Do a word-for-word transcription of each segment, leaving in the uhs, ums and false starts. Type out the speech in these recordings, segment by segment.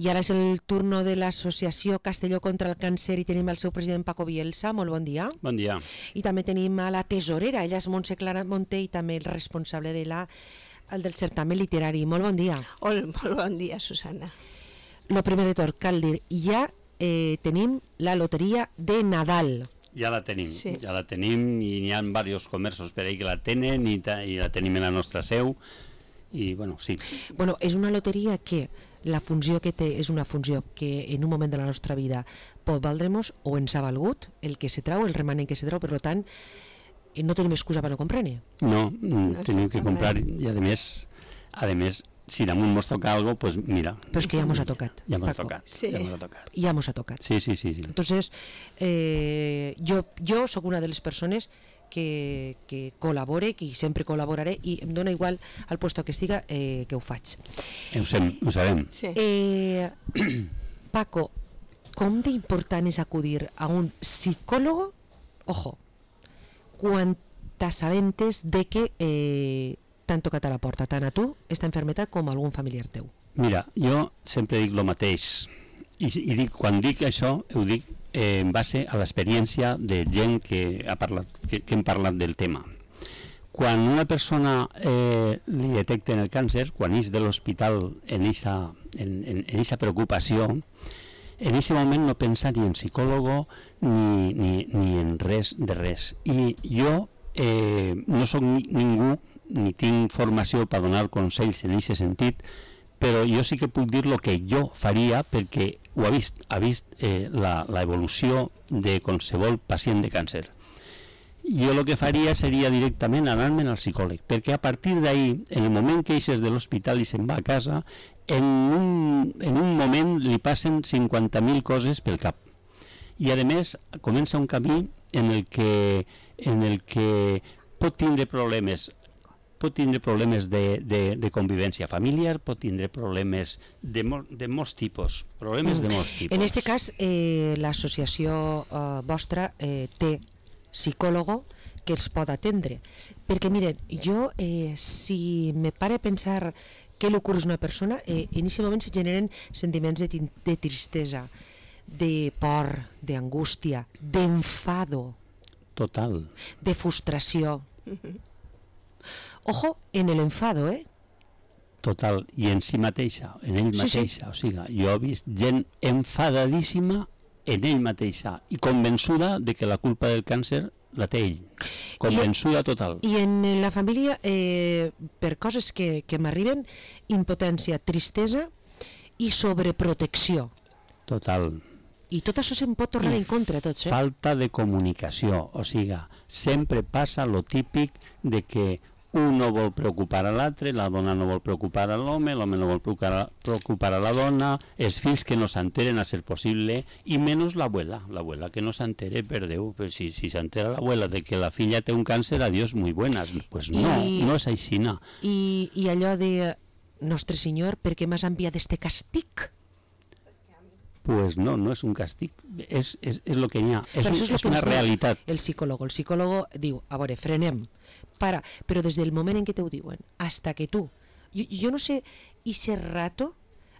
I ara és el turno de l'associació Castelló contra el Càncer i tenim el seu president Paco Bielsa. Molt bon dia. Bon dia. I també tenim a la tesorera, ella és Montse Clara Monté i també el responsable de la, el del certamen literari. Molt bon dia. Hola, molt bon dia, Susana. Lo primer de tot, cal dir, ja eh, tenim la loteria de Nadal. Ja la tenim, sí. ja la tenim i hi ha diversos comerços per ahí que la tenen i, ta, i la tenim en la nostra seu i bueno, sí. Bueno, és una loteria que la funció que té és una funció que en un moment de la nostra vida pot valdre-nos o ens ha valgut el que se trau, el remanent que se trau, per tant no tenim excusa per no comprar-ne. No, no tenim que comprar i a més, a més si damunt mos toca algo, pues mira. Però és que ja mos ha tocat. Ja mos ha Paco. tocat. Sí. Ja mos ha tocat. Ja mos ha tocat. Sí, sí, sí. sí. Entonces, eh, jo, jo sóc una de les persones que, que col·labore, que sempre col·laboraré i em dona igual al puesto que estiga eh, que ho faig. Ho, sem, ho sabem. Sí. Eh, Paco, com d'important és acudir a un psicòlogo, ojo, quan t'assabentes de que eh, t'han tocat a la porta, tant a tu, esta enfermetat, com a algun familiar teu? Mira, jo sempre dic el mateix i, i dic, quan dic això ho dic eh, en base a l'experiència de gent que, ha parlat, que, que hem parlat del tema. Quan una persona eh, li detecten el càncer, quan és de l'hospital en eixa en, en, en eixa preocupació, en aquest moment no pensa ni en psicòlogo ni, ni, ni en res de res. I jo eh, no sóc ni, ningú ni tinc formació per donar consells en aquest sentit, però jo sí que puc dir el que jo faria perquè ho ha vist, ha vist eh, la, la evolució de qualsevol pacient de càncer. Jo el que faria seria directament anar-me'n al psicòleg, perquè a partir d'ahí, en el moment que eixes de l'hospital i se'n va a casa, en un, en un moment li passen cinquanta mil coses pel cap. I a més comença un camí en el que, en el que pot tindre problemes pot tindre problemes de, de, de convivència familiar, pot tindre problemes de, mol, de molts tipus, problemes de molts tipus. En aquest cas, eh, l'associació eh, vostra eh, té psicòlogo que els pot atendre. Sí. Perquè, miren, jo, eh, si me pare a pensar què li ocorre a una persona, eh, en aquest moment se generen sentiments de, de tristesa, de por, d'angústia, d'enfado. Total. De frustració. Uh-huh. Ojo, en el enfado, eh? Total, i en si mateixa, en ell mateixa, sí, sí. O sigui, jo he vist gent enfadadíssima en ell mateixa i convençuda de que la culpa del càncer la té ell, convençuda I, total. I en la família, eh, per coses que, que m'arriben, impotència, tristesa i sobreprotecció. Total. I tot això se'n pot tornar I en contra, tots, eh? Falta de comunicació, o sigui, sempre passa lo típic de que un no vol preocupar a l'altre, la dona no vol preocupar a l'home, l'home no vol preocupar, preocupar a la dona, els fills que no s'enteren a ser possible, i menys l'abuela, l'abuela que no s'entere, per Déu, però si, si s'entera l'abuela de que la filla té un càncer, adiós, muy buenas, pues no, I, no és aixina. I, I allò de, Nostre Senyor, per què m'has enviat este castig? Pues no, no és un castig, és, és, és el que hi ha, és, un, és, és una realitat. El psicòleg, el psicòleg diu, a veure, frenem, para, però des del moment en què te ho diuen, hasta que tu, jo, jo no sé, i ese rato,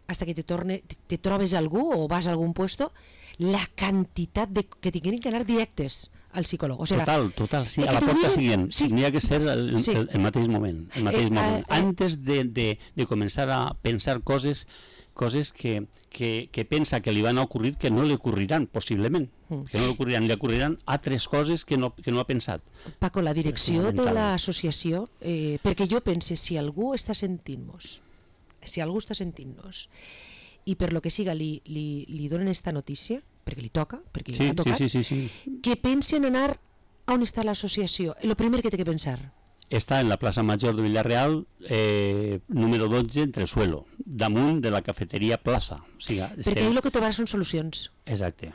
hasta que te, torne, te, te trobes algú o vas a algun puesto, la quantitat de, que tinguin que anar directes al psicòleg. O sigui, total, total, sí, a la porta siguient, sí. N'hi ha que ser el, sí. el, el mateix moment, el mateix eh, moment. Eh, eh, antes de, de, de començar a pensar coses coses que, que, que pensa que li van a ocurrir que no li ocurriran, possiblement. Mm. Que no li ocurriran, li ocurriran altres coses que no, que no ha pensat. Paco, la direcció de l'associació, eh, perquè jo pense, si algú està sentint-nos, si algú està sentint-nos, i per lo que siga li, li, li donen esta notícia, perquè li toca, perquè sí, li ha tocat, sí, sí, sí, sí. que pensen anar a on està l'associació. El primer que té que pensar. Està en la plaça Major de Villarreal, eh, número dotze, Entresuelo, damunt de la cafeteria Plaza. O sigui, perquè estem... ahir el que trobaràs són solucions. Exacte,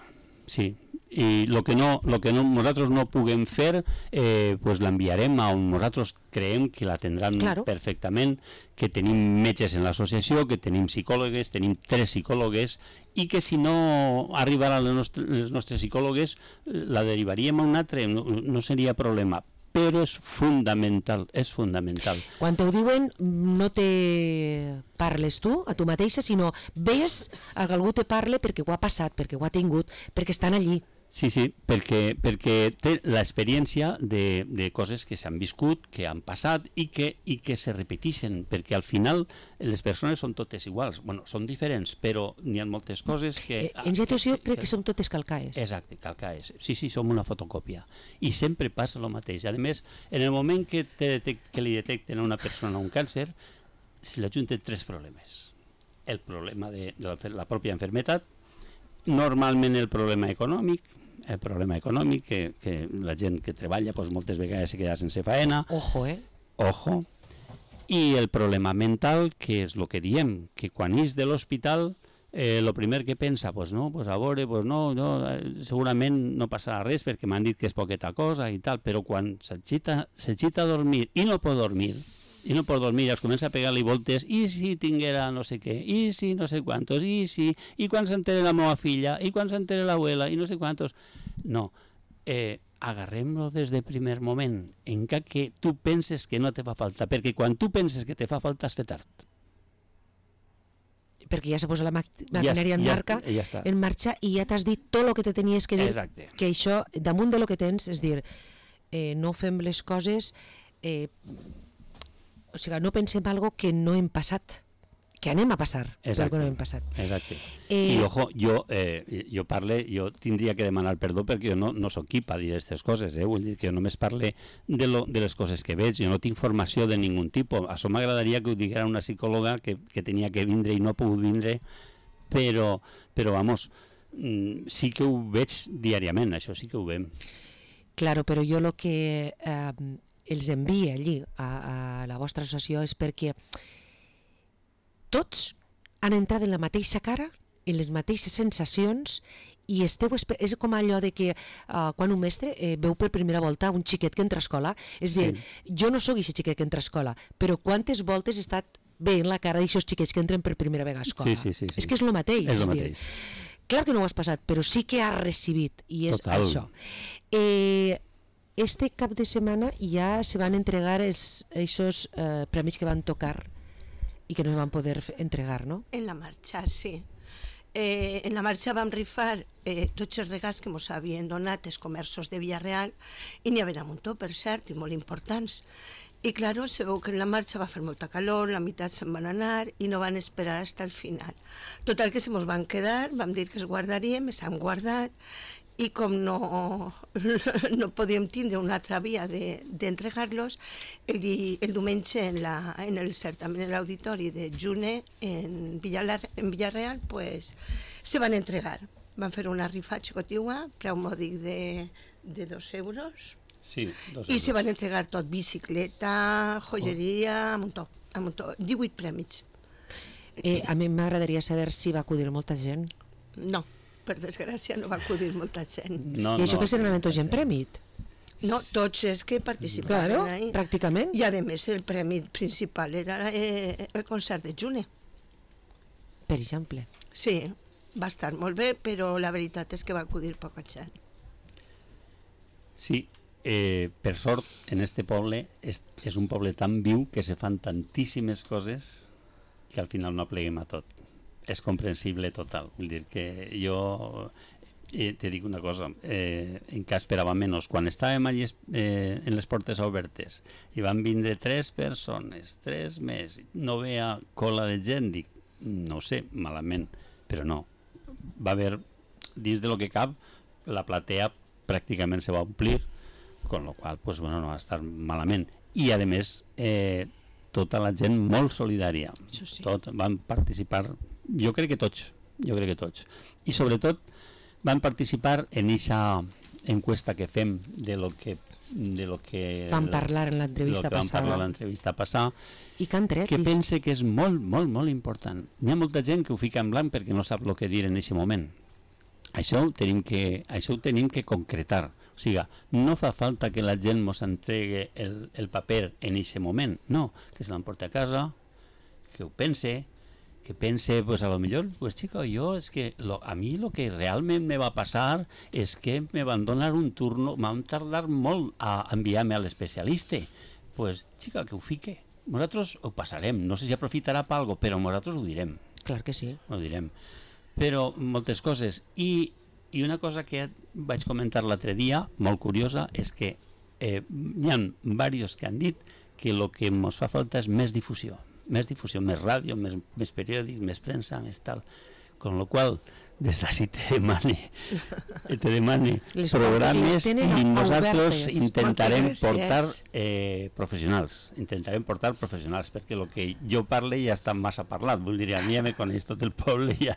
sí. I el que, no, lo que no, nosaltres no puguem fer, eh, pues l'enviarem a on nosaltres creiem que l'atendran claro. Perfectament, que tenim metges en l'associació, que tenim psicòlogues, tenim tres psicòlogues, i que si no arribaran les nostres, les nostres psicòlogues, la derivaríem a un altre, no, no seria problema. però és fundamental, és fundamental. Quan t'ho diuen, no te parles tu, a tu mateixa, sinó ves que algú te parle perquè ho ha passat, perquè ho ha tingut, perquè estan allí. Sí, sí, perquè, perquè té l'experiència de, de coses que s'han viscut, que han passat i que, i que se repeteixen, perquè al final les persones són totes iguals. Bueno, són diferents, però n'hi ha moltes coses que... Eh, en situació crec que, que som totes calcaes. Exacte, calcaes. Sí, sí, som una fotocòpia. I sempre passa el mateix. A més, en el moment que, te detect, que li detecten a una persona un càncer, se li ajunten tres problemes. El problema de, de la, la pròpia enfermetat, normalment el problema econòmic, el problema econòmic, que, que la gent que treballa doncs, moltes vegades se queda sense faena. Ojo, eh? Ojo. I el problema mental, que és el que diem, que quan és de l'hospital, eh, el primer que pensa, pues no, pues a veure, pues no, no, segurament no passarà res perquè m'han dit que és poqueta cosa i tal, però quan s'agita a dormir i no pot dormir, i no pot dormir, es comença a pegar-li voltes, i si tinguera no sé què, i si no sé quantos, i si, i quan s'entere la meva filla, i quan s'entere l'abuela, i no sé quantos. No, eh, agarrem-lo des del primer moment, encara que tu penses que no te fa falta, perquè quan tu penses que te fa falta has fet tard. Perquè ja s'ha posat la maquinària ja, en, ja, marca, ja està. en marxa i ja t'has dit tot el que te tenies que dir. Exacte. Que això, damunt de lo que tens, és dir, eh, no fem les coses... Eh, o sigui, no pensem algo que no hem passat, que anem a passar, però que no hem passat. Exacte. Eh, I, ojo, jo, eh, jo parle, jo tindria que demanar perdó perquè jo no, no soc qui per dir aquestes coses, eh? Vull dir que jo només parle de, lo, de les coses que veig, jo no tinc formació de ningun tipus. Això m'agradaria que ho diguera una psicòloga que, que tenia que vindre i no ha pogut vindre, però, però vamos, sí que ho veig diàriament, això sí que ho veiem. Claro, però jo el que... Eh, els envia allí a, a la vostra associació és perquè tots han entrat en la mateixa cara, en les mateixes sensacions i esteu, és com allò de que uh, quan un mestre eh, veu per primera volta un xiquet que entra a escola, és dir, sí. Jo no sóc aquest xiquet que entra a escola, però quantes voltes he estat veient la cara d'aixòs xiquets que entren per primera vegada a escola. Sí, sí, sí, sí. És que és el mateix. És el mateix. Dir, clar que no ho has passat, però sí que has recibit, i és Total. això. Eh, Este cap de setmana ja se van entregar els, esos eh, premis que van tocar i que no es van poder entregar, no? En la marxa, sí. Eh, en la marxa vam rifar eh, tots els regals que ens havien donat els comerços de Villarreal i n'hi havia un muntó, per cert, i molt importants. I, claro, se veu que en la marxa va fer molta calor, la meitat se'n van anar i no van esperar fins al final. Total, que se mos van quedar, vam dir que els guardaríem, s'han guardat, i com no, no podíem tindre una altra via d'entregar-los, de, el, el diumenge en, la, en el certamen en l'auditori de June en, Villar, en Villarreal pues, se van entregar. Van fer una rifa xicotiua, preu mòdic de, de dos euros, sí, dos i euros. se van entregar tot, bicicleta, joieria, a muntó, a muntó, divuit prèmits. Eh, a mi m'agradaria saber si va acudir molta gent. No. Per desgràcia no va acudir molta gent. No, I això no, que serà un gent prèmit. No, tots els que participaven Claro, ahí. pràcticament. I a més el premi principal era eh, el concert de June. Per exemple. Sí, va estar molt bé, però la veritat és que va acudir poca gent. Sí, eh, per sort, en este poble és, és un poble tan viu que se fan tantíssimes coses que al final no pleguem a tot. És comprensible total, vull dir que jo eh, te dic una cosa, eh, encara esperava menys, quan estàvem allí eh, en les portes obertes i van vindre tres persones, tres més, no veia cola de gent, dic, no sé, malament, però no, va haver, dins de lo que cap, la platea pràcticament se va omplir, con lo qual, pues bueno, no va estar malament, i a més, eh, tota la gent molt solidària, Sí. tot, van participar, jo crec que tots, jo crec que tots, i sobretot van participar en aquesta encuesta que fem de lo que de lo que Van parlar en l'entrevista passada, passada. parlar en l'entrevista passada, I que han tret. que i... pense que és molt, molt, molt important. Hi ha molta gent que ho fica en blanc perquè no sap el que dir en aquest moment. Això ho tenim que, això ho tenim que concretar. O sigui, no fa falta que la gent ens entregue el, el paper en aquest moment. No, que se l'emporti a casa, que ho pense, que pense, pues a lo mejor, pues chico, yo es que lo, a mí lo que realment me va passar és que me van donar un turno, m'han tardar molt a enviar-me a l'especialista. Pues, chica, que ho fique. Nosaltres ho passarem, no sé si aprofitarà per alguna cosa, però nosaltres ho direm. Clar que sí. Ho direm. Però moltes coses. I, i una cosa que vaig comentar l'altre dia, molt curiosa, és que eh, hi ha diversos que han dit que el que ens fa falta és més difusió. Més difusió, més ràdio, més, més periòdics, més premsa, més tal. Con lo qual, des d'ací te demane, te demane Les programes portes les i tenen nosaltres obertes. intentarem Moltes portar gràcies. eh, professionals, intentarem portar professionals, perquè el que jo parle ja està massa parlat, vull dir, a mi ja me coneix tot el poble, ja,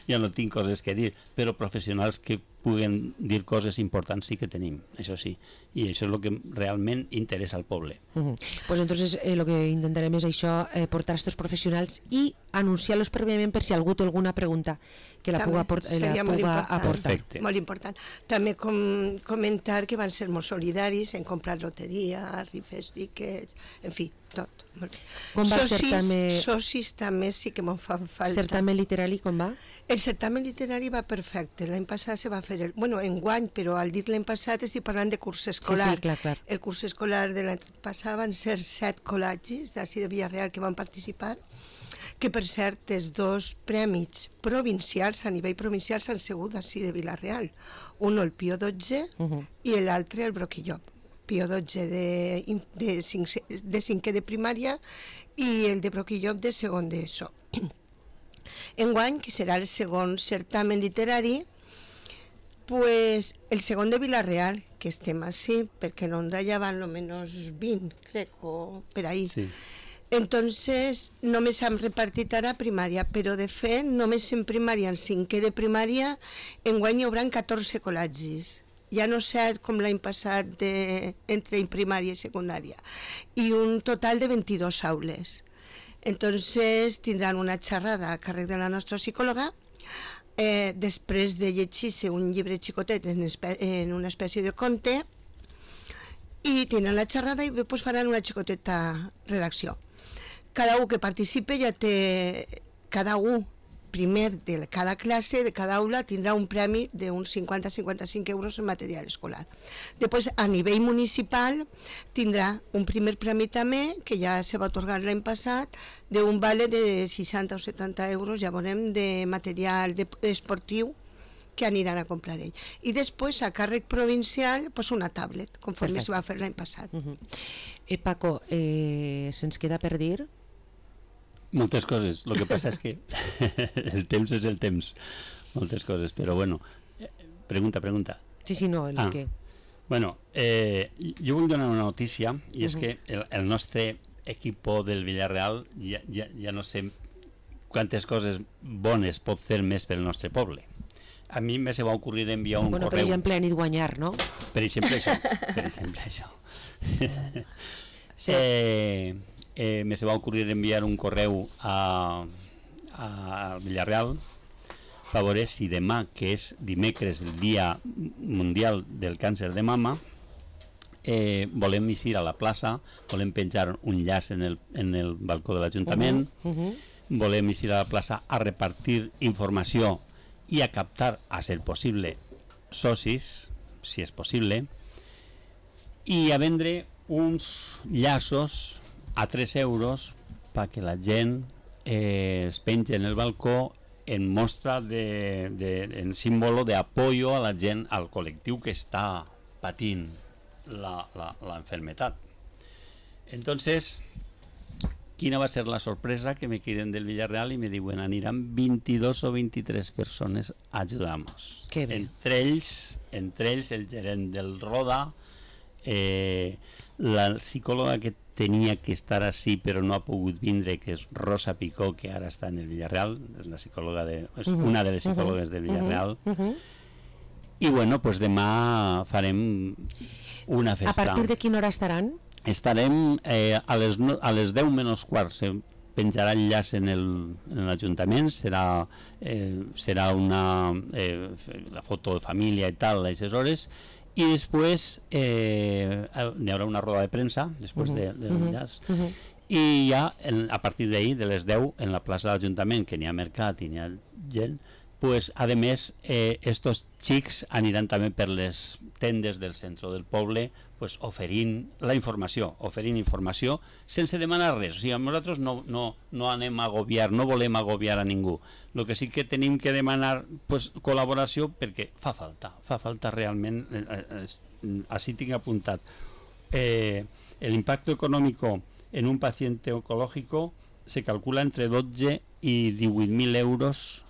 ja no tinc coses que dir, però professionals que puguen dir coses importants sí que tenim, això sí, i això és el que realment interessa al poble. Uh -huh. Pues entonces eh, lo que intentarem és això, eh, portar estos professionals i anunciar-los prèviament per si algú té alguna pregunta que la També puga, aport eh, la seria molt puga important. aportar. Perfecte. Molt important. També com, comentar que van ser molt solidaris en comprar loteria, rifes, tiquets, en fi, tot. Molt bé. Com va el socis, certamen- socis també sí que me'n fan falta. Certamen literari, com va? El certamen literari va perfecte. L'any passat se va fer, el, bueno, enguany, però al dir l'any passat estic parlant de curs escolar. Sí, sí, clar, clar. El curs escolar de l'any passat van ser set col·legis d'ací de Villarreal que van participar, que per cert els dos prèmits provincials, a nivell provincial, s'han sigut d'ací de Villarreal. Un el Pío dotze Uh -huh. i l'altre el Broquillop. Pío dotze de, de, cinc, de cinquè de primària i el de Broquillop de segon d'ESO. Enguany, que serà el segon certamen literari, pues el segon de Villarreal, que estem així, perquè en Onda ja van almenys vint, crec, o per ahí. Sí. Entonces, només hem repartit ara primària, però de fet, només en primària, en cinquè de primària, enguany hi haurà catorze col·legis. Ja no set com l'any passat de, entre primària i secundària. I un total de vint-i-dues aules. Entonces, tindran una xerrada a càrrec de la nostra psicòloga, eh, després de llegir-se un llibre xicotet en, espe en una espècie de conte, i tindran la xerrada i després faran una xicoteta redacció. Cada un que participe ja té, cada un primer de cada classe, de cada aula, tindrà un premi d'uns cinquanta a cinquanta-cinc euros en material escolar. Després, a nivell municipal, tindrà un primer premi també, que ja se va atorgar l'any passat, d'un vale de seixanta o setanta euros, ja veurem, de material de, esportiu que aniran a comprar ell. I després, a càrrec provincial, pues una tablet, conforme Perfecte. se va fer l'any passat. Uh -huh. eh, Paco, eh, se'ns queda per dir? Moltes coses, el que passa és que el temps és el temps, moltes coses, però bueno, eh, pregunta, pregunta. Sí, sí, no, el Ah. que... Bueno, eh, jo vull donar una notícia, i és Uh-huh. que el, el nostre equipo del Villarreal ja, ja, ja no sé quantes coses bones pot fer més pel nostre poble. A mi me se va ocorrir enviar un Bueno, per correu... exemple, a nit guanyar, no? Per exemple, això. Per exemple, això. Sí. eh, eh, me se va ocorrir enviar un correu a, a Villarreal per veure si demà, que és dimecres, el Dia Mundial del Càncer de Mama, eh, volem eixir a la plaça, volem penjar un llaç en el, en el balcó de l'Ajuntament, Uh -huh. volem eixir a la plaça a repartir informació i a captar, a ser possible, socis, si és possible, i a vendre uns llaços a tres euros perquè la gent eh, es pengi en el balcó en mostra de, de, en símbolo de apoyo a la gent, al col·lectiu que està patint la, la, la enfermedad. Entonces, quina va ser la sorpresa que me quieren del Villarreal y me diuen aniran veintidós o veintitrés persones a ajudar-nos. Que bé. Entre ells, entre ells el gerent del Roda, eh, la psicòloga que tenia que estar així però no ha pogut vindre, que és Rosa Picó, que ara està en el Villarreal, és la psicòloga de, és Uh-huh. una de les psicòlogues Uh-huh. del Villarreal. Uh -huh. I bueno, pues demà farem una festa. A partir de quina hora estaran? Estarem eh, a, les no, a les deu menys quart, se penjarà el llaç en el- en l'Ajuntament, serà, eh, serà una eh, la foto de família i tal, a aquestes hores, i després eh, n'hi haurà una roda de premsa, després Uh-huh. de, de Uh-huh. llaç, Uh-huh. i ja en, a partir d'ahir, de les deu, en la plaça de l'Ajuntament, que n'hi ha mercat i n'hi ha gent, pues, a més, eh, estos xics aniran també per les tendes del centre del poble, pues, oferint la informació, oferint informació sense demanar res. O sigui, nosaltres no, no, no anem a agobiar, no volem agobiar a ningú. El que sí que tenim que demanar, pues, col·laboració, perquè fa falta, fa falta realment, eh, eh, així tinc apuntat. Eh, el impacto económico en un paciente oncológico se calcula entre dotze i divuit mil euros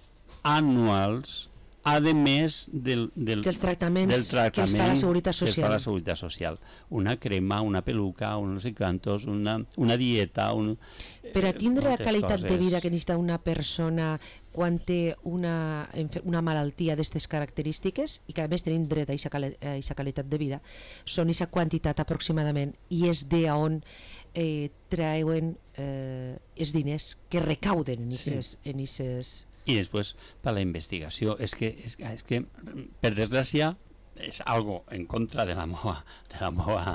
anuals, a més del, del, dels tractaments, del tractament que es fa la Seguretat que es fa Social. la Seguretat Social. Una crema, una peluca, un no sé quantos, una, una dieta... Un, Per a tindre la moltes qualitat de coses. vida que necessita una persona quan té una, enfe- una malaltia d'aquestes característiques, i que a més tenim dret a aquesta qualitat de vida, són aquesta quantitat aproximadament, i és de on eh, treuen eh, els diners que recauden en aquestes... Sí. En aquestes... I després, per la investigació, és que, és, és que per desgràcia, és algo en contra de la meva, de la meva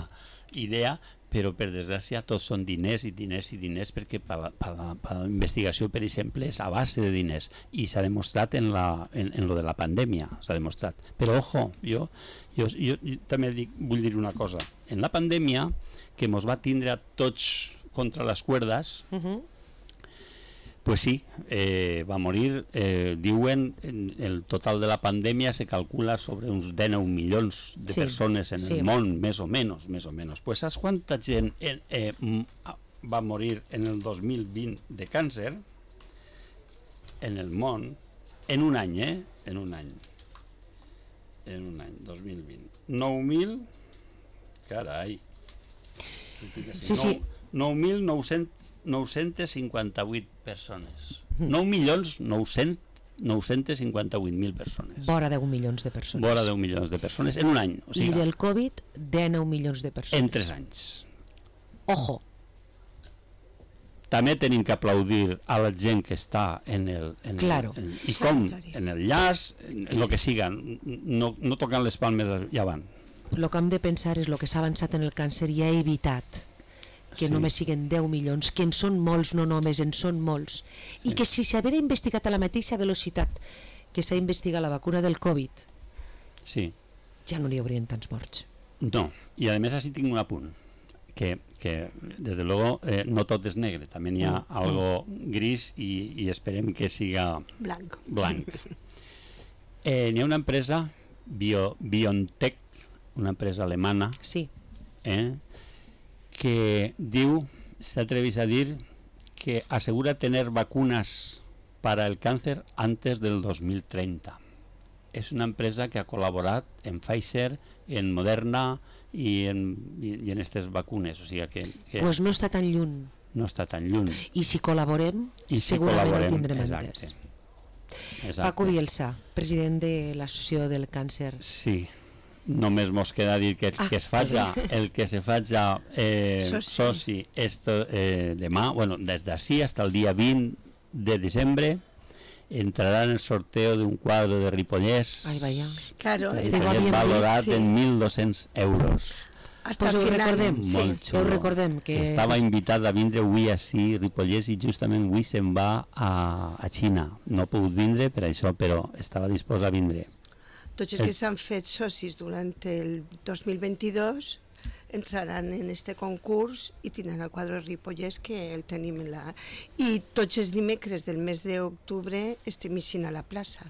idea, però per desgràcia tots són diners i diners i diners, perquè per la, per la, per la investigació, per exemple, és a base de diners, i s'ha demostrat en, la, en, en lo de la pandèmia, s'ha demostrat. Però, ojo, jo, jo, jo, jo també dic, vull dir una cosa. En la pandèmia, que mos va tindre a tots contra les cuerdas, Uh -huh. pues sí, eh, va morir, eh, diuen, el total de la pandèmia se calcula sobre uns dinou milions de Sí, persones en sí. el món, més o menys, més o menys. Pues saps quanta gent eh, eh, va morir en el dos mil vint de càncer en el món, en un any, eh? En un any. En un any, dos mil vint. nou mil, carai. Sí, sí. nou mil nou-cents cinquanta-vuit persones. nou milions nou-cents cinquanta-vuit mil persones. Vora deu milions de persones. Vora deu milions de persones en un any. O sigui, I del Covid, dinou milions de persones. en tres anys. Ojo. També tenim que aplaudir a la gent que està en el... En Claro. el, en, I com? Sanitari. En el llaç, en el que siga. No, no tocant les palmes, ja van. El que hem de pensar és el que s'ha avançat en el càncer i ha evitat que Sí. només siguen deu milions, que en són molts, no només, en són molts. I Sí. que si s'haguera investigat a la mateixa velocitat que s'ha investigat la vacuna del Covid, Sí. ja no n'hi haurien tants morts. No, i a més així tinc un apunt, que, que des de luego eh, no tot és negre, també n'hi ha Mm, algo gris i, i esperem que siga Blanc. blanc. Eh, n'hi ha una empresa, Bio, BioNTech, una empresa alemana, Sí, eh, que diu, se atreveix a dir, que asegura tener vacunas para el cáncer antes del dos mil treinta. Es una empresa que ha colaborat en Pfizer, en Moderna i en, i, i en aquestes vacunes, o sigui que, que doncs no està tan lluny. no està tan lluny. I si col·laborem, I si segurament col·laborem, el tindrem exacte. entès. Exacte. Paco Bielsa, president de l'Associació del Càncer. Sí, només mos queda dir que, Ah, que es faja, sí. el que se faja eh, Soci. soci esto, eh, demà, bueno, des d'ací hasta el dia vint de desembre entrarà en el sorteo d'un quadre de Ripollès Ai, vaya. Claro, que es- Este va estaria bien, valorat sí. en mil dos-cents euros. hasta Pues ho final. recordem, Sí. Molt xulo. Ho recordem, que estava és- invitat a vindre avui ací Ripollès i justament avui se'n va a, a Xina. No ha pogut vindre per això, però estava disposat a vindre. Tots els que s'han fet socis durant el dos mil vint-i-dos entraran en este concurs i tindran el quadre de Ripollès, que el tenim en la... I tots els dimecres del mes d'octubre estem eixint a la plaça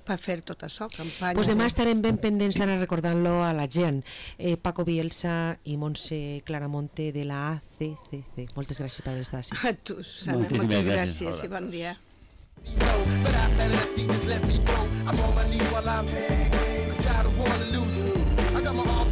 per fer tot això, campanya. Pues demà de- estarem ben pendents d'anar recordant-lo a la gent. Eh, Paco Bielsa i Montse Claramonte de la A C C C. Moltes gràcies per estar així. A tu, Susana, Moltíssimes moltes gràcies. gràcies i bon dia. No, but after that, see, just let me go. I'm on my knees while I'm beside a Waterloo. I got my arms